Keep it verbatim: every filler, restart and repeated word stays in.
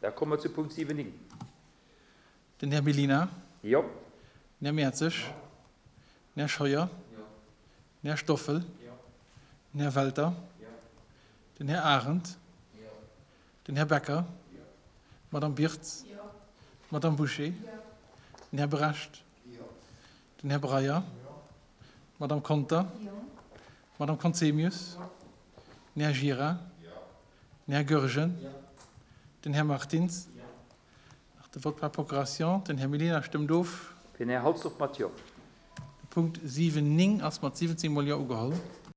Da komme mer zu Punkt siwen néng. Den Här Mellina. Jo. Den Här Mertzig. Den Här Scheuer. Den Här Stoffel. Den Här Welter. Den Här Arendt. Den Här Becker. D'Madame Birtz. D'Madame Bouché. Den Här Brecht. Den Här Breyer. D'Madame Conter. D'Madame Conzemius. Den Här Gira. Den Här Goergen. Den Här Martins. Nach de Vote par procuration. Den Här Mellina stëmmt of. Den Här Halsdorf mat Jo. De Punkt siwen néng ass mat siwwenzéng mol Jo ugeholl.